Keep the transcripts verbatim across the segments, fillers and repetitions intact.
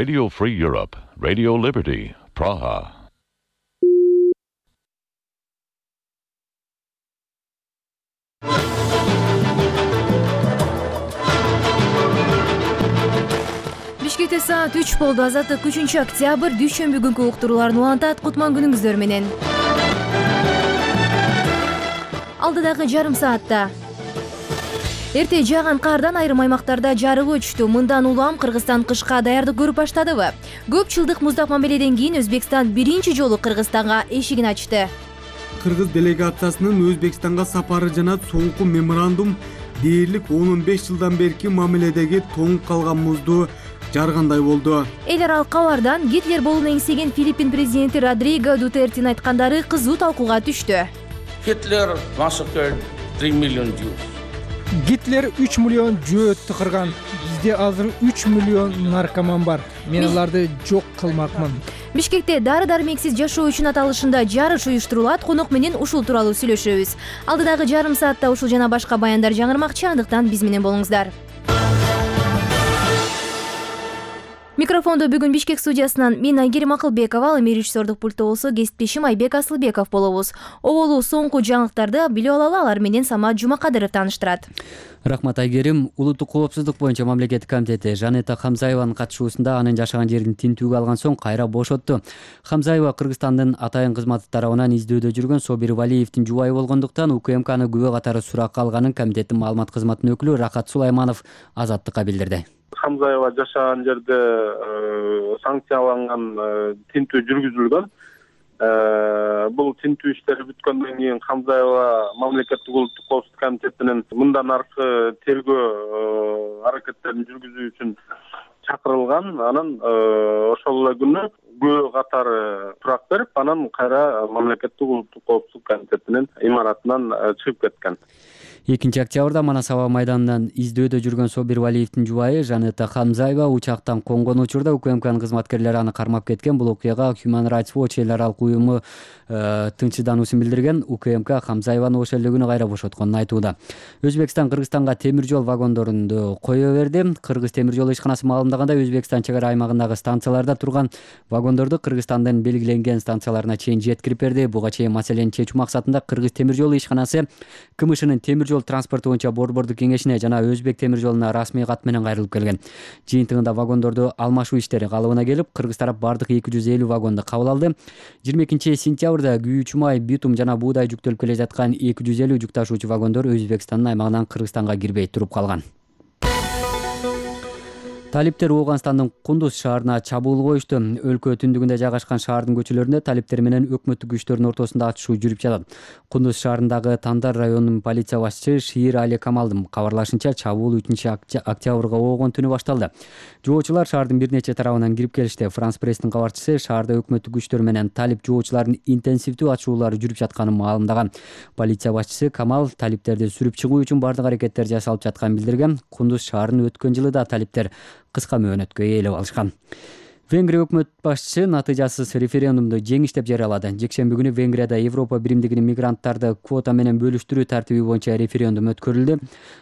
Radio Free Europe, Radio Liberty, Praha. Бишкекте саат үч болду. Азаттык үчүнчү октябрь дүйшөмбү күнкү уктурууларын улантат. Кутман күнүңүздөр менен. Алдыдагы жарым саатта эрте жааган кардан айрым аймактарда жарык өчтү. Мындан улам Кыргызстан кышка даярдык көрүп баштадыбы? Көп жылдык муздак мамиледен кийин Өзбекстан биринчи жолу Кыргызстанга эшигин ачты. Кыргыз делегациясынын Өзбекстанга сапары жана соңку меморандум дээрлик он беш жылдан берки мамиледеги тоңуп калган музду жаргандай болду. Эл аралык кабардан Гитлер болууну эңсеген Филиппин президенти Родриго Дутерттин айткандары кызуу талкууга түштү. Гитлер massacred три миллион Jews. Гитлер үч миллион жөөттү кырган. Бизде азыр үч миллион наркоман бар. Мен аларды жок кылмакмын. Бишкекте дары-дармексиз жашоо үчүн аталышында жарыш уюштурулат. Конок менен ушул тууралуу сүйлөшөбүз. Алдыдагы жарым саатта ушул жана башка баяндар жаңырмакчы, андыктан биз менен болуңуздар. Микрофондо бүгүн Бишкек студиясынан мен Айгерим Акылбекова, ал эми режиссердук пультта болсо кесиптешим Айбек Асылбеков болобуз. Оболу соңку жаңылыктарды билип алалы, алар менен Самат Жумакадыров тааныштырат. Рахмат Айгерим. Улуттук коопсуздук боюнча мамлекеттик комитети Жанета Хамзаеванын катышуусунда анын жашаган жерин тинтүүгө алган соң кайра бошотту. Хамзаева Кыргызстандын атайын кызматы тарабынан издөөдө жүргөн Собир Валиевдин жубайы болгондуктан УКМКны күбө катары суракка алганын комитеттин маалымат кызматынын өкүлү Рахат Сулайманов Азаттыкка билдирди. Хамзаева жашаган жерде санкцияланган тинтүү жүргүзүлгөн. Бул тинтүү иштери бүткөндөн кийин Хамзаева мамлекеттик улуттук коопсуздук комитетинин мындан аркы тергөө аракеттерин жүргүзүү үчүн чакырылган. Анан ошол эле күнү күбө катары турак берип, анан кайра мамлекеттик улуттук коопсуздук комитетинин имаратынан чыгып кеткен. экинчи октябрда Манас аба майданынан издөөдө жүргөн Собир Валиевдин жубайы Жанета Хамзаева учактан конгон учурда УКМКнын кызматкерлери аны кармап кеткен. Бул окуяга Human Rights Watch эл аралык уюму тынчсыздануусун билдирген. УКМК Хамзаеваны ошол эле күнү кайра бошотконун айтууда. Өзбекстан Кыргызстанга темир жол вагондорунду кое берди. Кыргыз темир жол ишканасы маалымдагандай, Өзбекстан чек ара аймагындагы станцияларда турган вагондорду Кыргызстандын белгиленген станцияларына чейин жеткирип берди. Буга чейин маселени чечүү максатында Кыргыз темир жол ишканасы КМШнын темир жол транспорту боюнча борбордук кеңешине жана Өзбек темир жолуна расмий кат менен кайрылып келген. Жыйынтыгында вагондорду алмашуу иштери калыбына келип, Кыргыз тарап бардык эки жүз элүү вагонду кабыл алды. жыйырма экинчи сентябрда күйүүчү май, битум жана буудай жүктөлүп келе жаткан эки жүз элүү жүк ташуучу вагондор Өзбекстандын аймагынан Кыргызстанга кирбей туруп калган. Талиптер Ооганстандын Кундуз шаарына чабуул коюшту. Өлкө түндүгүндө жайгашкан шаардын көчөлөрүндө талиптер менен өкмөттүк күчтөрдүн ортосунда атышуу жүрүп жатат. Кундуз шаарындагы Тандар районунун полиция башчысы Шиир Али Камалдын кабарлашынча, чабуул үчүнчү октябрга оогон түнү башталды. Жоочулар шаардын бир нече тарабынан кирип келишти. Франс пресстин кабарчысы шаарда өкмөттүк күчтөр менен талип жоочулардын интенсивдүү атышуулары жүрүп жатканын маалымдаган. Полиция башчысы Камал талиптерди сүрүп чыгуу үчүн бардык аракеттер жасалып жатканын билдирген. Кундуз шаарын өткөн жылы да талиптер кыска мөөнөткө ээлеп алышкан. Венгрия өкмөт башчысы натыйжасыз референдумду жеңиш деп жарыялады. Жекшемби күнү Венгрияда Европа биримдигинин мигранттарды квота менен бөлүштүрүү тартиби боюнча референдум өткөрүлдү.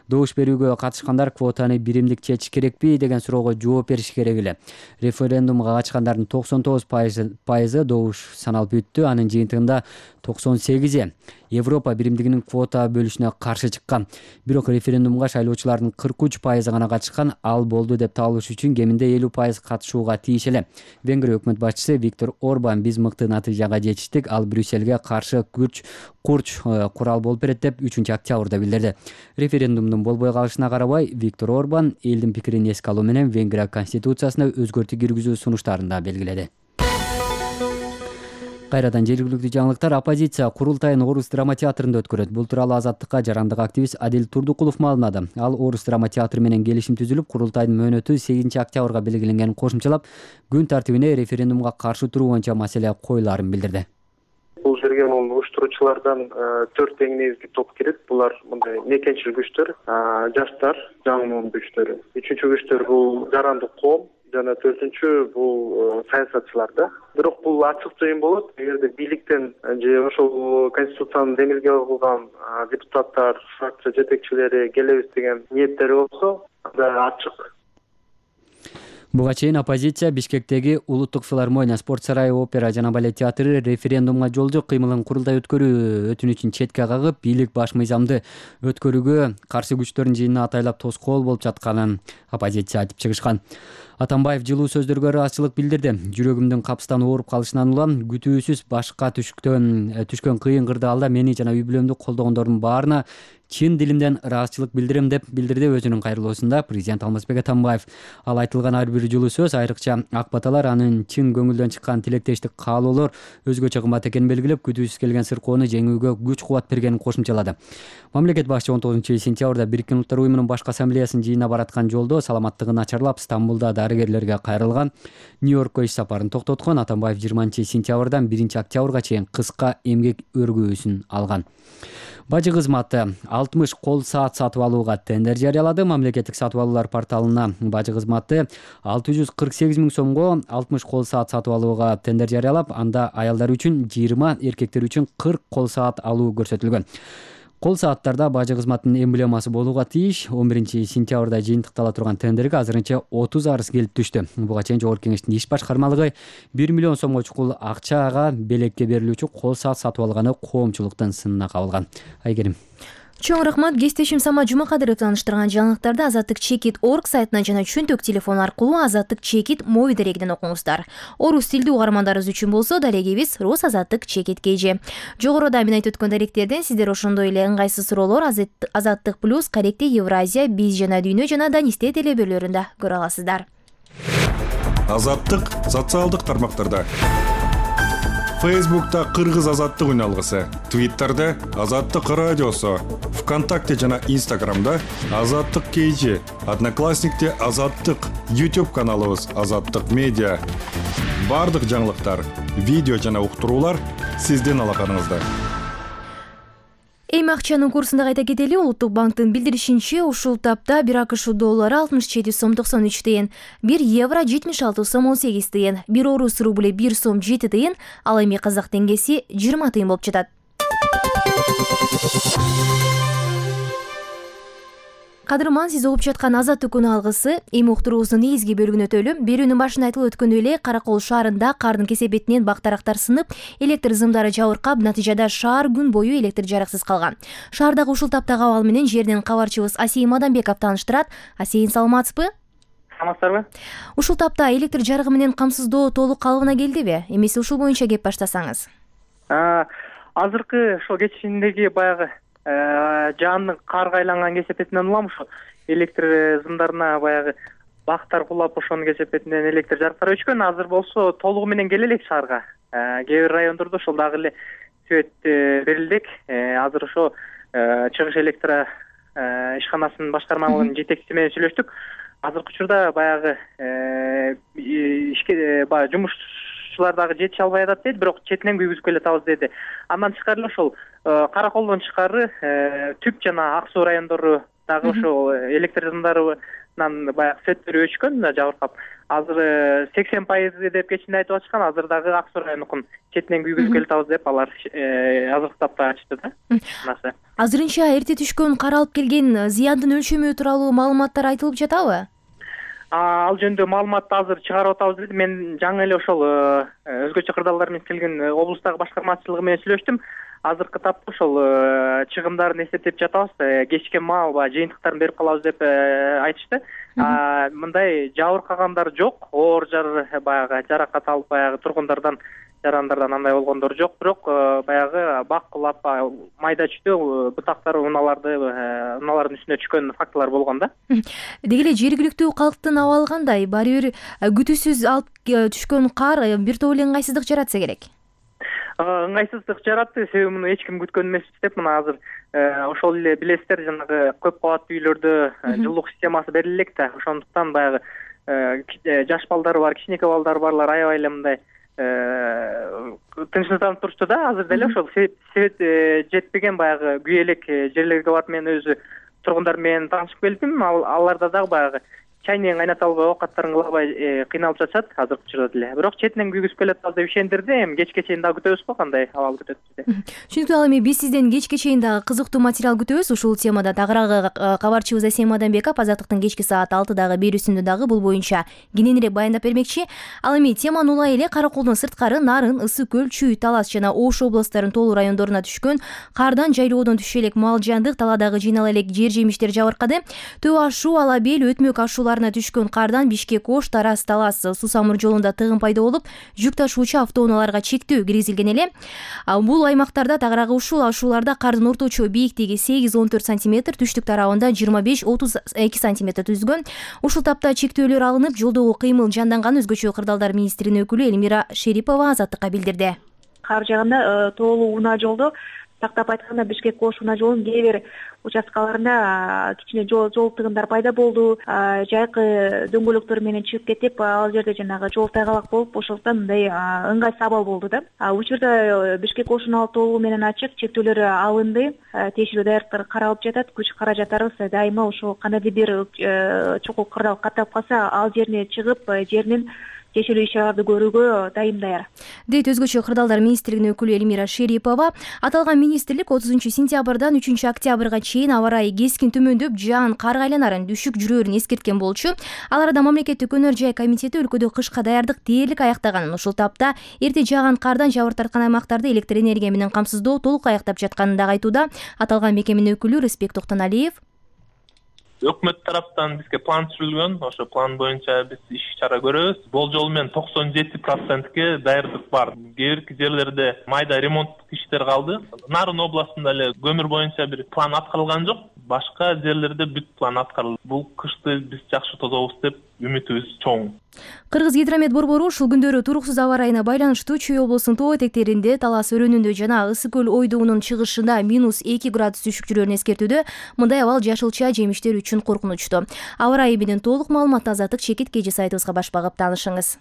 Добуш берүүгө катышкандар квотаны биримдик чечиш керекпи деген суроого жооп бериши керек эле. Референдумга катышкандардын токсон тогуз пайызы добуш саналып өттү. Анын жыйынтыгында токсон сегизи Европа биримдигинин квота бөлүшүнө каршы чыккан. Бирок референдумга шайлоочулардын кырк үч пайызы гана катышкан. Ал болду деп табылыш үчүн кеминде элүү пайыз катышууга тийиш эле. Венгрия өкмөт башчысы Виктор Орбан биз мыкты натыйжага жетиштик, ал Брюссельге каршы күч курч курал болуп берет деп үчүнчү октябрда билдирди. Референдумдун болбой калышына карабай, Виктор Орбан элдин пикирин эске алуу менен Венгрия конституциясына өзгөртүү киргизүү сунуштарын да белгиледи. Кайрадан жергиликтүү жаңылыктар. Оппозиция курултайын Орус драма театрында өткөрөт. Бул тууралуу Азаттыкка жарандык активист Адил Турдукулов маалымдады. Ал Орус драма театры менен келишим түзүлүп, курултайдын мөөнөтү сегизинчи октябрга белгиленгенин кошумчалап, күн тартибине референдумга каршы туруу боюнча маселе коюлаарын билдирди. Бул жерге мун уюштуруучулардан төрт эң негизги топ кирет. Булар мындай мекенчил күчтөр, жаштар, жаңы күчтөр. Үчүнчү күчтөр бул жарандык коом жана төртүнчү бул саясатчыларда. Бирок бул ачык жыйын болот. Эгерде бийликтен же ошол конституцияны демилге кылган депутаттар, фракция жетекчилери келебиз деген ниеттери болсо, анда ачык. Буга чейин оппозиция Бишкектеги Улуттук филармония, спорт сарайы, опера жана балет театры референдумга жолжо кыймылын курултай өткөрүү өтүнүчүн четке кагып, бийлик баш мыйзамды өткөрүүгө каршы күчтөрдүн жыйынына атайлап тоскоол болуп жатканын оппозиция айтып чыгышкан. Атамбаев жылуу сөздөргө ыраазычылык билдирди. Жүрөгүмдүн капыстан ооруп калышынан улам күтүүсүз башка түшкөн түшкөн кыйын кырдаалда мени жана үй бүлөмдү колдогондордун баарына чын дилимден ыраазычылык билдирем деп билдирди өзүнүн кайрылуусунда президент Алмазбек Атамбаев. Ал айтылган ар бир жылуу сөз, айрыкча ак баталар, анын чын көңүлдөн чыккан тилектештик каалоолор өзгөчө кымбат экенин белгилеп, күтүүсүз келген сыркоону жеңүүгө күч кубат бергенин кошумчалады. Мамлекет башчы он тогузунчу сентябрда Бириккен Улуттар уюмунун башкы ассамблеясынын жыйынына бараткан жолдо саламаттыгы начарлап Стамбулда дарыгерлерге кайрылган, Нью-Йоркко иш сапарын токтоткон. Атамбаев жыйырманчы сентябрдан биринчи октябрга чейин кыска эмгек өргүүсүн алган. Бажы кызматы алтымыш кол саат сатып алууга тендер жарыялады. Мамлекеттик сатып алуулар порталына бажы кызматы алты жүз кырк сегиз миң сомго алтымыш кол саат сатып алууга тендер жарыялап, анда аялдар үчүн жыйырма, эркектер үчүн кырк кол саат алуу көрсөтүлгөн. Кол сааттарда бажы кызматынын эмблемасы болууга тийиш. он биринчи сентябрда жыйынтыктала турган тендерге азырынча отуз арыз келип түштү. Буга чейин Жогорку Кеңештин иш башкармалыгы бир миллион сомго чукул акчага белекке берилүүчү кол саат сатып алганы коомчулуктун сынына кабылган. Айгерим. Чоң рахмат. Кесиптешим Самат Жумакадыров тааныштырган жаңылыктарды Азаттык Чекит орг сайтынан жана чөнтөк телефон аркылуу Азаттык Чекит моби дарегинен окуңуздар. Орус тилдүү угармандарыбыз үчүн болсо дарегибиз Рус Азаттык Чекит kg. Жогоруда мен айтып өткөн даректерден сиздер ошондой эле ыңгайсыз суроолор Азаттык плюс, Корректе Евразия, Биз жана Дүйнө жана Данисте телебөрлөрүндө көрө аласыздар. Азаттык социалдык тармактарда. Фейсбукта Кыргыз азаттык үналгысы, Твиттерде Азаттык радиосу, ВКонтакте жана Инстаграмда Азаттык kg, Одноклассникте Азаттык, YouTube каналыбыз Азаттык медиа. Бардык жаңылыктар, видео жана уктуруулар сиздин алаканыңызда. Эми акчанын курсунда кайта кетели. Улуттук банктын билдиришинче, ушул тапта бир АКШ доллары алтымыш жети сом токсон үч тыйын, бир евро жетимиш алты сом он сегиз тыйын, бир орус рубли бир сом жети тыйын, ал эми казак теңгеси жыйырма тыйын болуп жатат. Кадырман, сиз угуп жаткан Азаттык күнү алгысы. Эми уктуруубуздун негизги бөлүгүнө өтөлү. Берүүнүн башында айтылып өткөндөй эле, Каракол шаарында кардын кесепетинен бактарактар сынып, электр зымдары жабыркап, натыйжада шаар күн бою электр жарыксыз калган. Шаардагы ушул таптагы абал менен жерден кабарчыбыз Асейин Мадамбеков тааныштырат. Асейин, саламатсызбы? Саламатсыздарбы? Ушул тапта электр жарыгы менен камсыздоо толук калыбына келдиби? Эмесе ушул боюнча кеп баштасаңыз. Азыркы ошол кечиндеги баягы жаандын карга айланган кесепетинен улам ушу электр зымдарына баягы бактар кулап, ошонун кесепетинен электр жарыктары өчкөн. Азыр болсо толугу менен келе элек шаарга. Кээ бир райондордо ошол дагы эле свет берилдик. Азыр ошо чыгыш электр ишканасынын башкармалыгынын жетекчиси менен сүйлөштүк. Азыркы учурда баягы ишке баягы жумуш дагы жетише албай атат деди, бирок четинен күйгүзүп келатабыз деди. Андан тышкары ошол Караколдон тышкары Түп жана Ак Суу райондору дагы ошол электр зымдарынан баягы светтери өчкөн, жабыркап. Азыр сексен пайыз деп кечинде айтып атышкан. Азыр дагы Ак Суу районунун четинен күйгүзүп келатабыз деп алар азыркы тапта ачты да. Азырынча эрте түшкөн кар алып келген зыяндын өлчөмү тууралуу маалыматтар айтылып жатабы? Ал жөнүндө маалыматты азыр чыгарып атабыз деди. Мен жаңы эле ошол өзгөчө кырдаалдар менен келген облустагы башкармачылыгы менен сүйлөштүм. Азыркы тапта ошол чыгымдарын эсептеп жатабыз. Кечке маал баягы жыйынтыктарын берип калабыз деп айтышты. Мындай жабыркагандар жок. Оор жар баягы жаракат алып баягы тургундардан, жарандардан андай болгондор жок. Бирок баягы бак кулап, майда чүйдө бутактар унааларды, унаалардын үстүнө түшкөн фактылар болгон да. Деги эле жергиликтүү калктын абалы кандай? Баары бир күтүүсүз алып түшкөн кар бир топ эле ыңгайсыздык жаратса керек. Ыңгайсыздык жаратты, себеби муну эч ким күткөн эмес деп. Мына азыр ошол эле билесиздер, жанагы көп кабаттуу үйлөрдө жылуулук системасы бериле элек да. Ошондуктан баягы жаш балдары бар, кичинекей балдары барлар аябай эле мындай тынчсызданып турушту да. Азыр деле ошол свет жетпеген баягы күйэлек жерлерге барып мен өзү тургундар менен таанышып келдим. Аларда дагы баягы чайнегин кайната албай, оокаттарын кыла албай кыйналып жатышат азыркы учурда деле. Бирок четинен күйгүзүп келатабыз деп ишендирди. Эми кечке чейин дагы күтөбүз го, кандай абал күтөт бизди. Түшүнүктүү. Ал эми биз сизден кечке чейин дагы кызыктуу материал күтөбүз ушул темада. Тагыраагы кабарчыбыз Асем Адамбеков Азаттыктын кечки саат алтыдагы берүүсүндө дагы бул боюнча кененирээк баяндап бермекчи. Ал эми теманы улай эле Кара Коолдун сырткары Нарын, Ысык көл, Чүй, Талас жана Ош областтарынын толуу райондоруна түшкөн кардан жайлоодон түшө элек мал жандык, талаадагы жыйнала элек жер жемиштер жабыркады. Төө ашуу, Ала бел, Өтмөк ашууларына түшкөн кардан Бишкек, Ош, Тараз, Талас, Сусамыр жолунда тыгын пайда болуп, жүк ташуучу автоунааларга чектөө киргизилген эле. Бул аймактарда тагыраагы ушул ашууларда кардын орточо бийиктиги сегиз он төрт сантиметр, түштүк тарабында жыйырма беш отуз эки сантиметр түзгөн. Ушул тапта чектөөлөр алынып, жолдогу кыймыл жанданган. Өзгөчө кырдаалдар министринин өкүлү Элмира Шерипова Азаттыкка билдирди. Кар жааганда тоолуу унаа жолдо, тактап айтканда Бишкек Ош унаа жолунун кээ бир участкаларында кичине жол жол тыгындар пайда болду. Жайкы дөңгөлөктөр менен чыгып кетип, ал жерде жанагы жол тайгалак болуп, ошондуктан мындай ыңгайсыз абал болду да. Учурда Бишкек Ош унаа толуу менен ачык, чектөөлөр алынды, тиешелүү даярдыктар каралып жатат. Күч каражаттарыбыз дайыма ошол кандайдыр бир чокул кырдаал каттап калса, ал жерине чыгып, жеринин тиешелүү иш-чараларды көрүүгө дайым даяр. Дейт өзгөчө кырдаалдар министринин өкүлү Элмира Шерипова. Аталган министрлик отузунчу сентябрдан үчүнчү октябрга чейин аба ырайы кескин төмөндөп, жаан карга айланарын дүшүк жүрөөрүн эскерткен болчу. Ал арада мамлекеттик өнөр жай комитети өлкөдө кышка даярдык дээрлик аяктаганын, ушул тапта эрте жааган кардан жабыр тарткан аймактарды электр энергия менен камсыздоо толук аяктап жатканын дагы айтууда. Аталган мекеменин өкүлү Рыспек Токтоналиев өкмөт тараптан бизге план түзүлгөн. Ошо план боюнча биз иш-чара көрөбүз. Болжол менен токсон жети процентке даярдык бар. Кээ бирки жерлерде майда ремонттук иштер калды. Нарын областында эле көмүр боюнча бир план аткарылган жок. Башка жерлерде бүт план аткарылды. Бул кышты биз жакшы тозобуз деп үмүтүбүз чоң. Кыргыз гидромет борбору ушул күндөрү туруксуз аба ырайына байланыштуу Чүй облусунун тоо этектеринде, Талас өрөөнүндө жана Ысык көл ойдуунун чыгышында минус эки градус түшүк жүрөөрүн эскертүүдө. Мындай абал жашылча жемиштер үчүн коркунучтуу. Аба ырайы менен толук маалыматты Азаттык чекит кежи сайтыбызга баш багып таанышыңыз.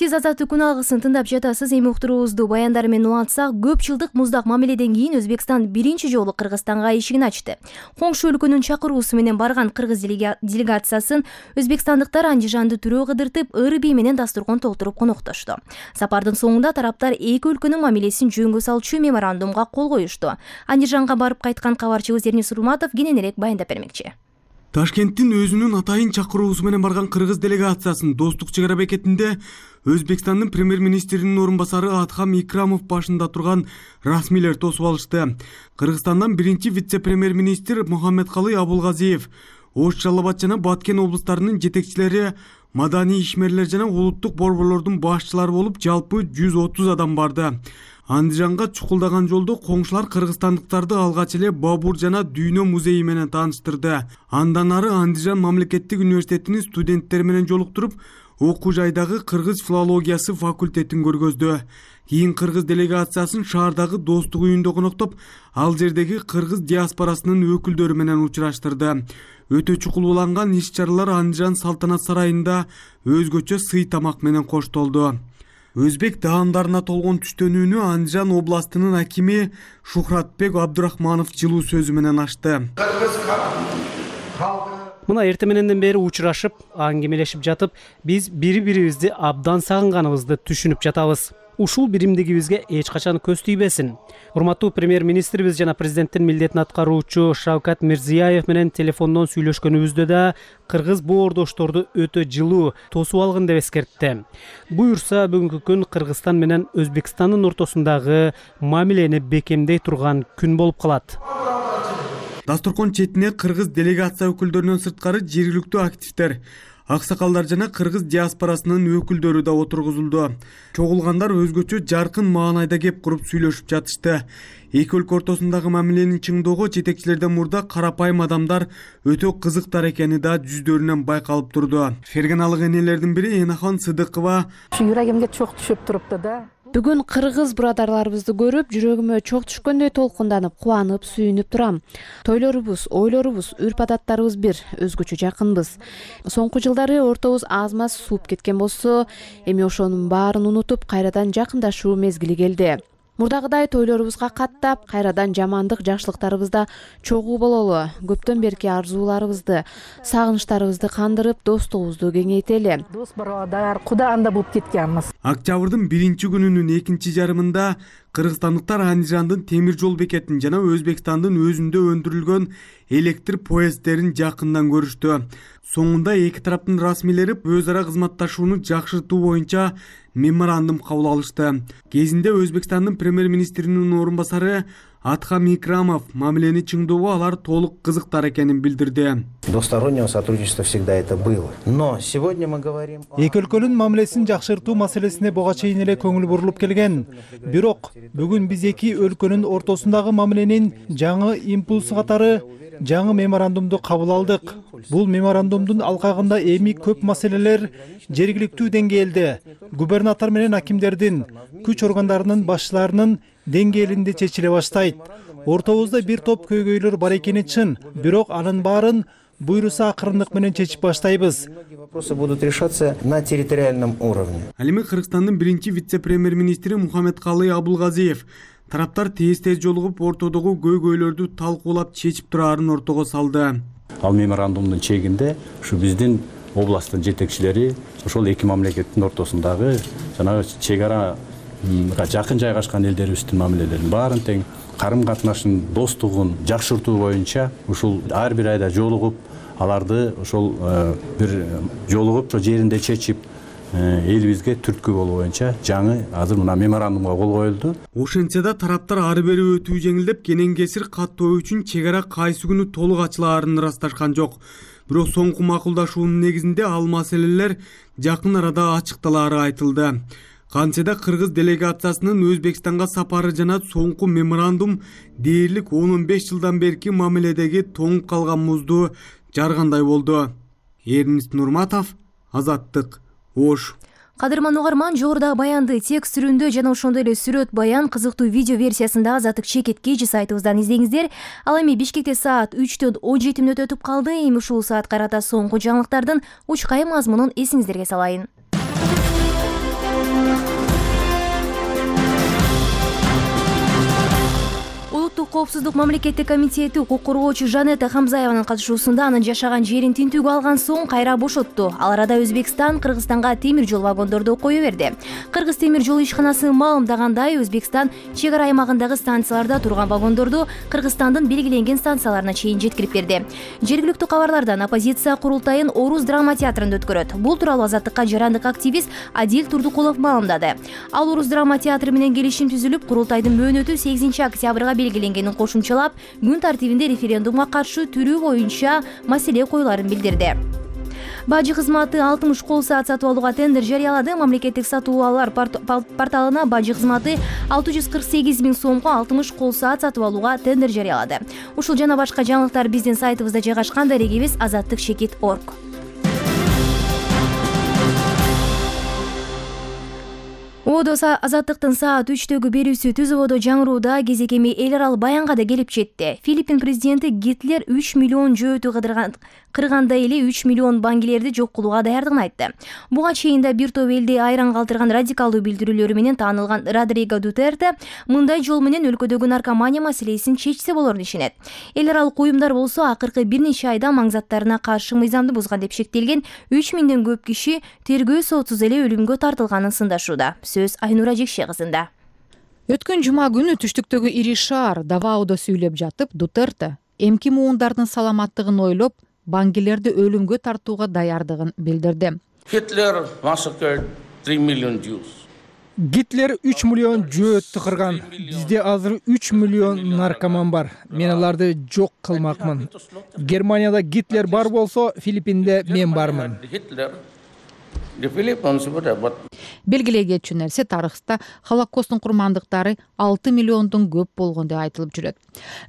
Сиз Азаттык күн алгысын тыңдап жатасыз. Эми уктуруубузду баяндар менен улантсак, көп жылдык муздак мамиледен кийин Өзбекстан биринчи жолу Кыргызстанга эшигин ачты. Коңшу өлкөнүн чакыруусу менен барган кыргыз делегациясын өзбекстандыктар андижанды түрөө кыдыртып, ыры бий менен дастуркан толтуруп коноктошту. Сапардын соңунда тараптар эки өлкөнүн мамилесин жөнгө салчу меморандумга кол коюшту. Андижанга барып кайткан кабарчыбыз Эрнис Сурматов кененирээк баяндап бермекчи. Ташкенттин өзүнүн атайын чакыруусу менен барган кыргыз делегациясын Достук чек ара бекетинде Өзбекстандын премьер-министринин орун басары Адхам Икрамов башында турган расмийлер тосуп алышты. Кыргызстандан биринчи вице-премьер-министр Мухаммедкалый Абулгазиев, Ош, Жалал Абад жана Баткен облустарынын жетекчилери, маданий ишмерлер жана улуттук борборлордун башчылары болуп, жалпы жүз отуз адам барды. Андижанга чукулдаган жолдо коңшулар кыргызстандыктарды алгач эле Бабур жана Дүйнө музейи менен тааныштырды. Андан ары Андижан мамлекеттик университетинин студенттери менен жолуктуруп, окуу жайдагы кыргыз филологиясы факультетин көргөздү. Кийин кыргыз делегациясын шаардагы Достук үйүндө коноктоп, ал жердеги кыргыз диаспорасынын өкүлдөрү менен учураштырды. Өтө чукул уланган иш-чаралар Андижан салтанат сарайында өзгөчө сый тамак менен коштолду. Өзбек даамдарына толгон түштөнүүнү Андижан областынын акими Шухратбек Абдурахманов жылуу сөзү менен ачты. Мына эрте мененден бери учурашып, аңгемелешип жатып, биз бири-бирибизди абдан сагынганыбызды түшүнүп жатабыз. Ушул биримдигибизге эч качан көз тийбесин. Урматтуу премьер-министрибиз жана президенттин милдетин аткаруучу Шавкат Мирзияев менен телефондон сүйлөшкөнүбүздө да кыргыз боордошторду өтө жылуу тосуп алгын деп эскертти. Буюрса, бүгүнкү күн Кыргызстан менен Өзбекстандын ортосундагы мамилени бекемдей турган күн болуп калат. Дастуркан четине кыргыз делегация өкүлдөрүнөн сырткары жергиликтүү активдер, аксакалдар жана кыргыз диаспорасынын өкүлдөрү да отургузулду. Чогулгандар өзгөчө жаркын маанайда кеп куруп сүйлөшүп жатышты. Эки өлкө ортосундагы мамиленин чыңдоого жетекчилерден мурда карапайым адамдар өтө кызыктар экени да жүздөрүнөн байкалып турду. Ферганалык энелердин бири Энахан Сыдыкова: Жүрөгүмгө чок түшүп турупту да. Бүгүн кыргыз бурадарларыбызды көрүп, жүрөгүмө чок түшкөндөй толкунданып, кубанып, сүйүнүп турам. Тойлорубуз, ойлорубуз, үрп-адаттарыбыз бир, өзгөчө жакынбыз. Соңку жылдары ортобуз аз-маз сууп кеткен болсо, эми ошонун баарын унутуп, кайрадан жакындашуу мезгили келди. мурдагыдай тойлорубузга каттап кайрадан жамандык жакшылыктарыбызда чогуу бололу, көптөн берки арзууларыбызды, сагынычтарыбызды кандырып, достугубузду кеңейтели. Дос барадар, куда анда болуп кеткенбиз. Октябрдын биринчи күнүнүн экинчи жарымында кыргызстандыктар Андижандын темир жол бекетин жана Өзбекстандын өзүндө өндүрүлгөн электр поезддерин жакындан көрүштү. Соңунда эки тараптын расмийлери өз ара кызматташууну жакшыртуу боюнча меморандум кабыл алышты. Кезинде Өзбекстандын премьер-министринин орун басары Адхам Икрамов мамилени чыңдоого алар толук кызыктар экенин билдирди. Двустороннего сотрудничества всегда это было. Но сегодня мы говорим... Эки өлкөнүн мамилесин жакшыртуу маселесине буга чейин эле көңүл бурулуп келген. Бирок бүгүн биз эки өлкөнүн ортосундагы мамиленин жаңы импульсу катары жаңы меморандумду кабыл алдык. Бул меморандумдун алкагында эми көп маселелер жергиликтүү деңгээлде губернатор менен акимдердин, күч органдарынын башчыларынын деңгээлинде чечиле баштайт. Ортобузда бир топ көйгөйлөр бар экени чын, бирок анын баарын буйруса акырындык менен чечип баштайбыз. Вопросы будут решаться на территориальном уровне. Ал эми Кыргызстандын биринчи вице-премьер-министри Мухаммедкалый Абулгазиев тараптар тез-тез жолугуп ортодогу көйгөйлөрдү талкуулап чечип турарын ортого салды. Ал меморандумдун чегинде ушу биздин областтын жетекчилери ошол эки мамлекеттин ортосундагы жанагы чек арага жакын жайгашкан элдерибиздин мамилелерин баарын тең карым катнашын, достугун жакшыртуу боюнча ушул ар бир айда жолугуп, аларды ошол бир жолугуп ошо жеринде чечип, элибизге түрткү болуу боюнча жаңы азыр мына меморандумга кол коюлду. Ошентсе да тараптар ары бери өтүү жеңилдеп, кенен кесир каттоо үчүн чек ара кайсы күнү толук ачылаарын ырасташкан жок. Бирок соңку макулдашуунун негизинде ал маселелер жакын арада ачыкталаары айтылды. Кантсе да кыргыз делегациясынын Өзбекстанга сапары жана соңку меморандум дээрлик он он беш жылдан берки мамиледеги тоңуп калган музду жаргандай болду. Эрнест Нурматов, Азаттык, Ош. Кадырман угарман, жогорудагы баянды текст түрүндө жана ошондой эле сүрөт баян кызыктуу видео версиясында Азаттык чекиткейчи сайтыбыздан издеңиздер. Ал эми Бишкекте саат үчтөн он жети мүнөт өтүп калды. Эми ушул саатка карата соңку жаңылыктардын учкай мазмунун эсиңиздерге салайын. Улуттук коопсуздук мамлекеттик комитети укук коргоочу Жанета Хамзаеванын катышуусунда анын жашаган жерин тинтүүгө алган соң кайра бошотту. Ал арада Өзбекстан Кыргызстанга темир жол вагондорду кое берди. Кыргыз темир жол ишканасы маалымдагандай, Өзбекстан чек ара аймагындагы станцияларда турган вагондорду Кыргызстандын белгиленген станцияларына чейин жеткирип берди. Жергиликтүү кабарлардан оппозиция курултайын Орус драма театрында өткөрөт. Бул тууралуу Азаттыкка жарандык активист Адил Турдукулов маалымдады. Ал Орус драма театры менен келишим түзүлүп, курултайдын мөөнөтү сегизинчи октябрга белгиленгенин кошумчалап, күн тартибинде референдумга каршы түрүү боюнча маселе коюларын билдирди. Бажы кызматы алтымыш кол саат сатып алууга тендер жарыялады. Мамлекеттик сатуу алуулар порталына бажы кызматы алты жүз кырк сегиз миң сомго алтымыш кол саат сатып алууга тендер жарыялады. Ушул жана башка жаңылыктар биздин сайтыбызда жайгашкан. Дарегибиз азаттык чекит точка орг. Одо Азаттыктын саат үчтөгү берүүсү түз ободо жаңырууда кезекеми эл аралык баянга да келип жетти. Филиппин президенти Гитлер үч миллион жөөтү кырганда эле үч миллион баңгилерди жок кылууга даярдыгын айтты. Буга чейин да бир топ элди айран калтырган радикалдуу билдирүүлөрү менен таанылган Родриго Дутерте мындай жол менен өлкөдөгү наркомания маселесин чечсе болорун ишенет. Эл аралык уюмдар болсо акыркы бир нече айда маңзаттарына каршы мыйзамды бузган деп шектелген үч миңден көп киши тергөө сотсуз эле өлүмгө тартылганын сындашууда. Сөз Айнура Жекше кызында. Өткөн жума күнү түштүктөгү ири шаар Даваодо сүйлөп жатып, Дутерте эмки муундардын саламаттыгын ойлоп, баңгилерди өлүмгө тартууга даярдыгын билдирди. Hitler massacred three million Jews. Гитлер үч миллион жөөттү кырган. Бизде азыр үч миллион наркоман бар. Мен аларды жок кылмакмын. Германияда Гитлер бар болсо, Филиппинде мен бармын. Белгилей кетчү нерсе, тарыхта Холокосттун курмандыктары алты миллиондон көп болгон деп айтылып жүрөт.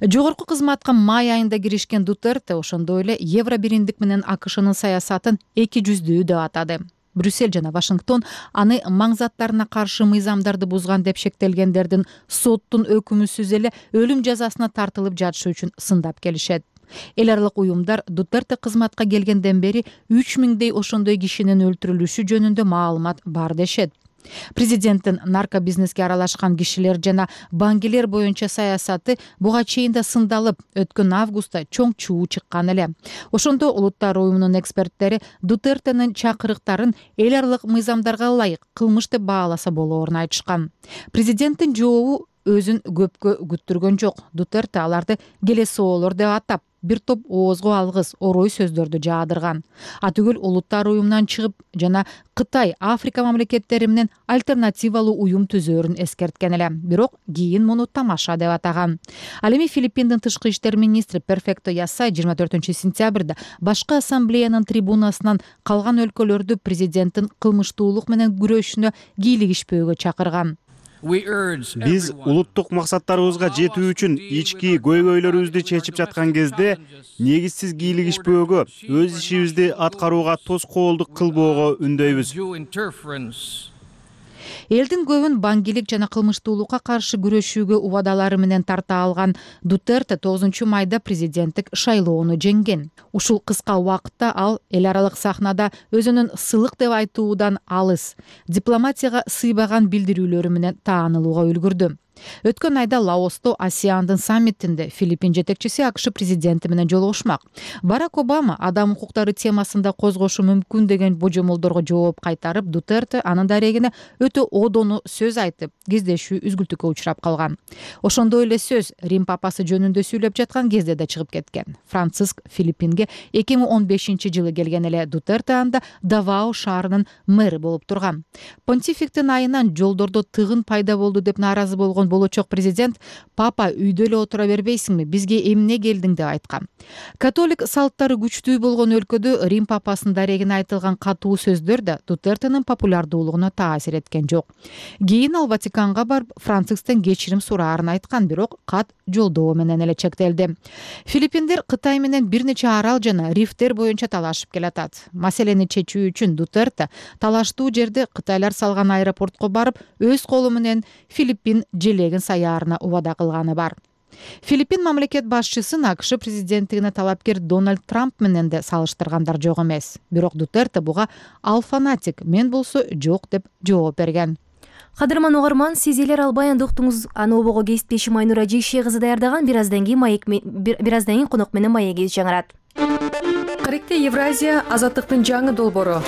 Жогорку кызматка май айында киришкен Дутерте ошондой эле Евро бириндик менен АКШнын саясатын эки жүздүү деп атады. Брюссель жана Вашингтон аны маңзаттарына каршы мыйзамдарды бузган деп шектелгендердин соттун өкүмүсүз эле өлүм жазасына тартылып жатышы үчүн сындап келишет. Эл аралык уюмдар Дутерте кызматка келгенден бери үч миңдей ошондой кишинин өлтүрүлүшү жөнүндө маалымат бар дешет. Президенттин наркобизнеске аралашкан кишилер жана баңгилер боюнча саясаты буга чейин да сындалып, өткөн августта чоң чуу чыккан эле. Ошондо улуттар уюмунун эксперттери Дутертенин чакырыктарын эл аралык мыйзамдарга ылайык кылмыш деп бааласа болоорун айтышкан. Президенттин жообу өзүн көпкө күттүргөн жок. Дутерте аларды келесоолор деп атап, бир топ оозго алгыс орой сөздөрдү жаадырган. Атүгүл улуттар уюмунан чыгып жана Кытай, Африка мамлекеттери менен альтернативалуу уюм түзөөрүн эскерткен эле. Бирок кийин муну тамаша деп атаган. Ал эми Филиппиндин тышкы иштер министри Перфекто Ясай жыйырма төртүнчү сентябрда башкы ассамблеянын трибунасынан калган өлкөлөрдү президенттин кылмыштуулук менен күрөшүнө кийлигишпөөгө чакырган. Биз улуттук максаттарыбызга жетүү үчүн ички көйгөйлөрүбүздү чечип жаткан кезде негизсиз кийлигишпөөгө, өз ишибизди аткарууга тоскоолдук кылбоого үндөйбүз. Элдин көбүн баңгилик жана кылмыштуулукка каршы күрөшүүгө убадалары менен тарта алган Дутерте тогузунчу майда президенттик шайлоону жеңген. Ушул кыска убакытта ал эл аралык сахнада өзүнүн сылык деп айтуудан алыс, дипломатияга сыйбаган билдирүүлөрү менен таанылууга үлгүрдү. Өткөн айда Лаосто Асиандын саммитинде Филиппин жетекчиси АКШ президенти менен жолугушмак. Барак Обама адам укуктары темасында козгошу мүмкүн деген божомолдорго жооп кайтарып, Дутерте анын дарегине өтө одону сөз айтып, кездешүү үзгүлтүккө учурап калган. Ошондой эле сөз Рим папасы жөнүндө сүйлөп жаткан кезде да чыгып кеткен. Франциск Филиппинге эки миң он бешинчи жылы келген эле. Дутерте анда Давао шаарынын мэри болуп турган. Понтификтин айынан жолдордо тыгын пайда болду деп нааразы болгон болочок президент папа үйдө эле отура бербейсиңби, бизге эмне келдиң деп айткан. Католик салттары күчтүү болгон өлкөдө Рим папасынын дарегине айтылган катуу сөздөр да Дутертенин популярдуулугуна таасир эткен жок. Кийин ал Ватиканга барып Францисктен кечирим сураарын айткан, бирок кат жолдоо менен эле чектелди. Филиппиндер Кытай менен бир нече арал жана рифтер боюнча талашып келатат. Маселени чечүү үчүн Дутерте талаштуу жерде Кытайлар салган аэропортко барып, өз колу менен Филиппин желегин саярына убада кылганы бар. Филиппин мамлекет башчысын АКШ президенттигине талапкер Дональд Трамп менен де салыштыргандар жок эмес. Бирок Дутерте буга ал фанатик, мен болсо жок деп жооп берген. Кадырман угарман, сиз элер албай анда уктуңуз. Аны обого кесиптешим Айнура Жейше кызы даярдаган. Бир аздан кийин маек бир аздан кийин конок менен маегиз жаңырат. Каректе Евразия азаттыктын жаңы долбоору.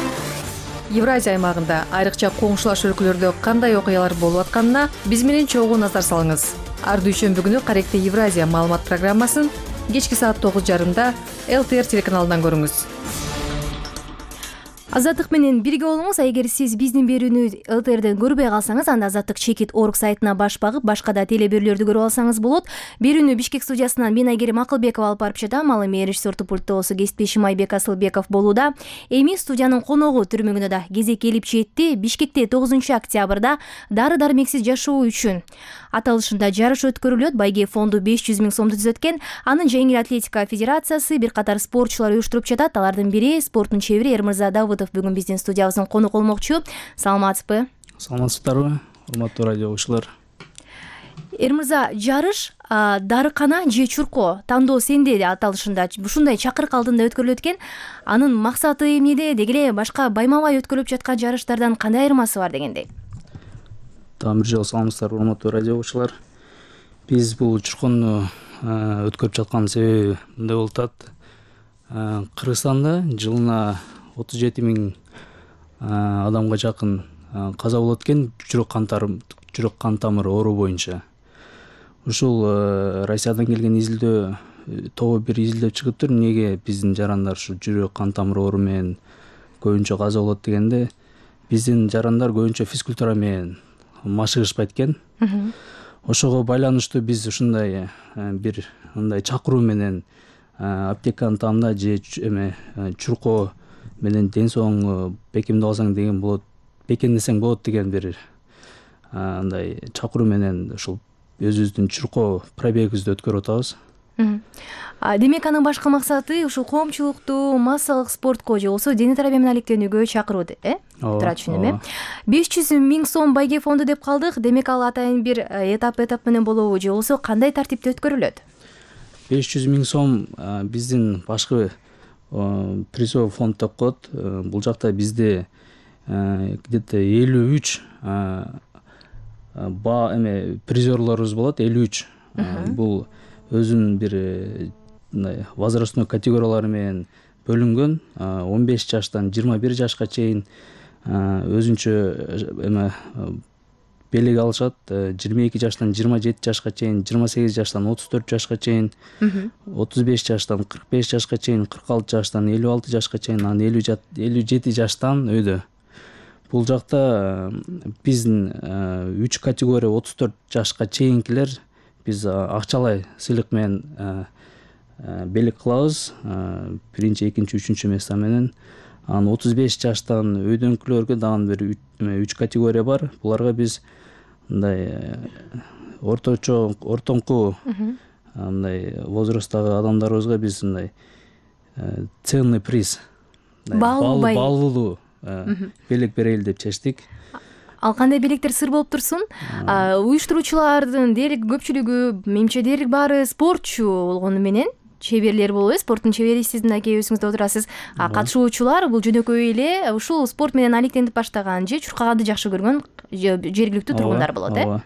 Евразия аймагында айрыкча коңшулаш өлкөлөрдө кандай окуялар болуп атканына биз менен чогуу назар салыңыз. Ар дүйшөмбү күнү Каректе Евразия маалымат программасын кечки саат тогуз жарымда эл тэ эр телеканалынан көрүңүз. Азаттык менен бирге болуңуз. Эгер сиз биздин берүүнү эл тэ эрден көрбөй калсаңыз, анда азаттык чекит точка орг сайтына баш багып, башка да теле берүүлөрдү көрүп алсаңыз болот. Берүүнү Бишкек студиясынан мен Айгерим Акылбекова алып барып жатам. Ал эми режиссердик пультта болсо кесиптешим Айбек Асылбеков болууда. Эми студиянын коногу түрмөгүнө да кезек келип жетти. Бишкекте тогузунчу октябрда дары дармексиз жашоо үчүн аталышында жарыш өткөрүлөт. Байге фонду беш жүз миң сомду түзөткөн. Анын жеңил атлетика федерациясы бир катар спортчулар уюштуруп жатат. Алардын бири спорттун чебери Эрмырза Давыдов бүгүн биздин студиябыздын конок болмокчу. Саламатсызбы? Саламатсыздарбы, урматтуу радио угуучулар. Эрмырза, жарыш дарыкана же чурко тандоо сенде аталышында ушундай чакырык алдында өткөрүлөт экен. Анын максаты эмнеде? Деги эле башка байма-бай өткөрүлүп жаткан жарыштардан кандай айырмасы бар дегендей? Дагы бир жолу саламатсыздар, урматтуу радио угуучулар. Биз бул чуркону өткөрүп жаткан себеби мындай болуп атат. Кыргызстанда жылына отуз жети миң адамга жакын каза болот экен жүрөк кан жүрөк кан тамыр оору боюнча. Ушул Россиядан келген изилдөө тобу бир изилдөө чыгыптыр. Эмнеге биздин жарандар ушу жүрөк кан тамыр оору менен көбүнчө каза болот дегенде, биздин жарандар көбүнчө физкультура менен машыгышпайт экен. Ошого байланыштуу биз ушундай бир мындай чакыруу менен аптеканын таамда же эме чурко менен ден соолугуңду бекемдеп алсаң деген болот, бекемдесең болот деген бир андай чакыруу менен ушул өзүбүздүн чурко пробегибизди өткөрүп атабыз. Демек анын башкы максаты ушул коомчулукту массалык спортко же болбосо дене тарбия менен алектенүүгө чакыруу, э? Туура түшүндүм, э? беш жүз миң сом байге фонду деп калдык. Демек ал атайын бир этап этап менен болобу же болбосо кандай тартипте өткөрүлөт? беш жүз миң сом биздин башкы призовый фонд деп коет. Бул жакта бизде где то элүү үч эме призерлорубуз болот, элүү үч. Бул өзүнүн бир мындай возрастной категориялары менен бөлүнгөн. он беш жаштан жыйырма бир жашка чейин өзүнчө эме белек алышат. жыйырма эки жаштан жыйырма жети жашка чейин, жыйырма сегиз жаштан отуз төрт жашка чейин, отуз беш жаштан кырк беш жашка чейин, кырк алты жаштан элүү алты жашка чейин, анан элүү жети жаштан өйдө. Бул жакта биздин үч категория отуз төрт жашка чейинкилер биз акчалай сыйлык менен белек кылабыз. Биринчи, экинчи, үчүнчү места менен. Анан отуз беш жаштан өйдөнкүлөргө дагы бир үч категория бар. Буларга биз мындай орточо, ортоңку мындай возрасттагы адамдарыбызга биз мындай ценный приз, баалуулуу белек берели деп чечтик. Ал кандай белектер сыр болуп турсун? Уюштуруучулардын дээрлик көпчүлүгү, менимче дээрлик баары спортчу болгону менен чеберлер болобу? Спорттун чебери сиздин аке өзүңүз отурасыз. Катышуучулар бул жөнөкөй эле ушул спорт менен алектенип баштаган же чуркаганды жакшы көргөн жергиликтүү тургундар болот, э?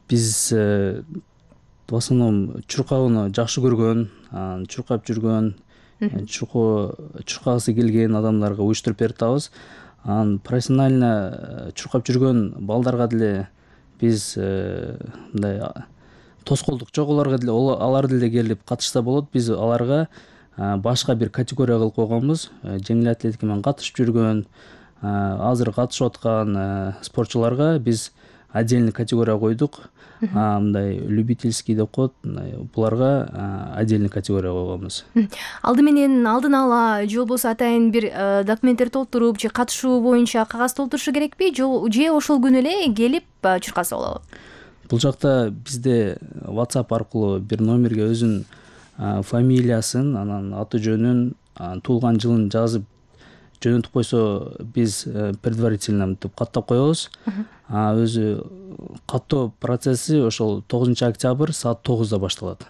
Биз в основном чуркауну жакшы көргөн, чуркап жүргөн, чуркагысы келген адамдарга уюштуруп берип атабыз. Анан профессионально чуркап жүргөн балдарга деле биз мындай тоскоолдук жок, аларга деле алар деле келип катышса болот. Биз аларга башка бир категория кылып койгонбуз. Жеңил атлетика менен катышып жүргөн, азыр катышып аткан спортчуларга биз отдельный категория койдук. Мындай любительский деп коет, буларга отдельный категория койгонбуз. Алды менен алдын ала же болбосо атайын бир документтер толтуруп же катышуу боюнча кагаз толтурушу керекпи, же ошол күнү эле келип чуркаса болобу? Бул жакта бизде WhatsApp аркылуу бир номерге өзүнүн фамилиясын, анан аты жөнүн, туулган жылын жазып жөнөтүп койсо биз предварительно мынтип каттап коебуз. Өзү каттоо процесси ошол тогузунчу октябрь саат тогузда башталат.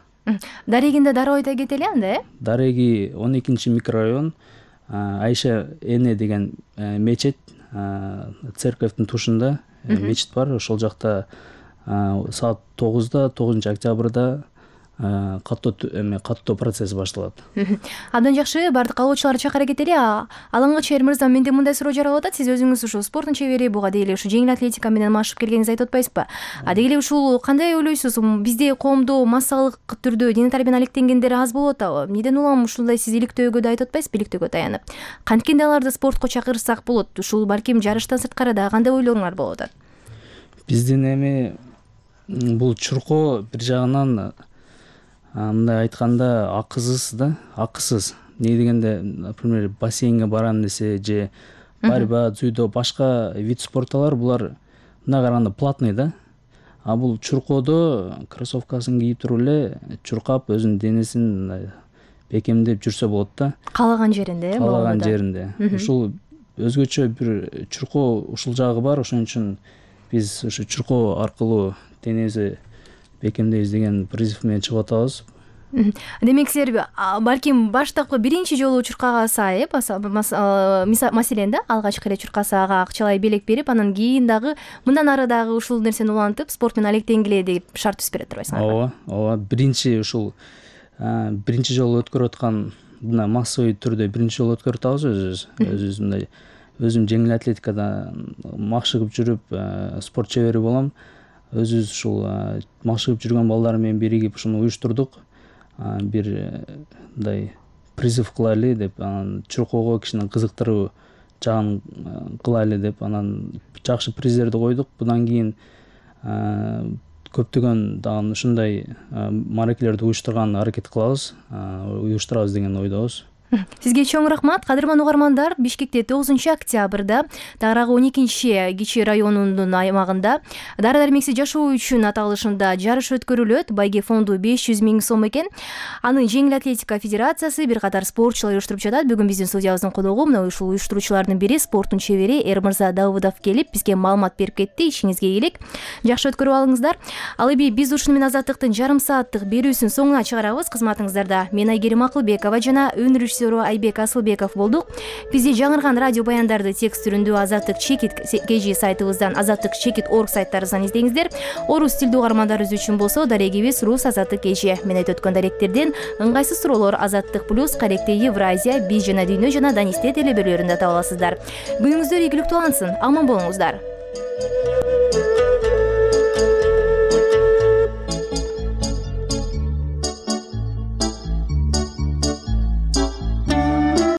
Дарегинде дароо айта кетели анда, э? Дареги он экинчи микрорайон, Айша эне деген мечит, церковдун тушунда мечит бар. Ошол жакта саат тогузда тогузунчу октябрда каттоо эме каттоо процесси башталат. Абдан жакшы, бардык калоочуларды чакыра кетели. Алаңга чейин мырза, менде мындай суроо жаралып атат. Сиз өзүңүз ушул спорттун чебери, буга деги эле ушу жеңил атлетика менен машыгып келгениңизди айтып атпайсызбы? А деги эле ушул кандай ойлойсуз? Бизде коомдо массалык түрдө дене тарбияны алектенгендер аз болуп атабы? Эмнеден улам ушундай сиз иликтөөгө да айтып атпайсызбы, иликтөөгө таянып? Канткенде аларды спортко чакырсак болот? Ушул балким жарыштан сырткары да кандай ойлоруңар болуп атат? Биздин эми бул чуркоо бир жагынан мындай айтканда акысыз да, акысыз. Не дегенде, например, бассейнге барам десе же борьба, дзюдо, башка вид спортталар булар мына караганда платный да. А бул чуркоодо кроссовкасын кийип туруп эле чуркап өзүнүн денесин бекемдеп жүрсө болот да. Каалаган жеринде, э? Каалаган жеринде. Ушул өзгөчө бир чуркоо ушул жагы бар. Ошон үчүн биз ушу чуркоо аркылуу денебизди бекемдейбиз деген призыв менен чыгып атабыз. Демек силер балким баштапкы биринчи жолу чуркага сайып, маселен да, алгачкы эле чуркасага акчалай белек берип, анан кийин дагы мындан ары дагы ушул нерсени улантып, спорт менен алектенгиле деп шарт түзүп бере турбайсыңарбы? Ооба, ооба. Биринчи ушул биринчи жолу өткөрүп аткан мына массовый түрдө биринчи жолу өткөрүп атабыз өзүбүз. Өзүбүз мындай өзүм жеңил атлетикада машыгып жүрүп спорт чебери болом. Өзүбүз ушул машыгып жүргөн балдар менен биригип ушуну уюштурдук. Бир мындай призыв кылайлы деп, анан чуркоого кишини кызыктыруу жагын кылайлы деп, анан жакшы приздерди койдук. Будан кийин көптөгөн дагы ушундай мааракелерди уюштурган аракет кылабыз, уюштурабыз деген ойдобуз. Сизге чоң рахмат. Кадырман угармандар, Бишкекте тогузунчу октябрда Тарагы он экинчи Кичи районунун аймагында дары дармексиз жашоо үчүн аталышында жарыш өткөрүлөт. Байге фонду беш жүз миң сом экен. Аны жеңил атлетика федерациясы бир катар спортчулар уюштуруп жатат. Бүгүн биздин студиябыздын коногу мына ушул уюштуруучулардын бири спорттун чебери Эрмырза Давыдов келип бизге маалымат берип кетти. Ишиңизге ийгилик. Жакшы өткөрүп алыңыздар. Ал эми биз ушуну менен Азаттыктын жарым сааттык берүүсүн соңуна чыгарабыз. Кызматыңыздарда мен Айгерим Акылбекова жана өнүрүш режиссеру Айбек Асылбеков болдук. Бизди жаңырган радио баяндарды текст түрүндө Азаттык чекит kg сайтыбыздан, Азаттык чекит орг сайттарыбыздан издеңиздер. Орус тилдүү угармандарыбыз үчүн болсо дарегибиз Рус Азаттык kg. Мен айтып өткөн даректерден ыңгайсыз суроолор Азаттык плюс, Каректе Евразия, Биз жана Дүйнө жана Данисте телебөрлөрүндө таба аласыздар. Күнүңүздөр ийгиликтүү алынсын. Аман болуңуздар.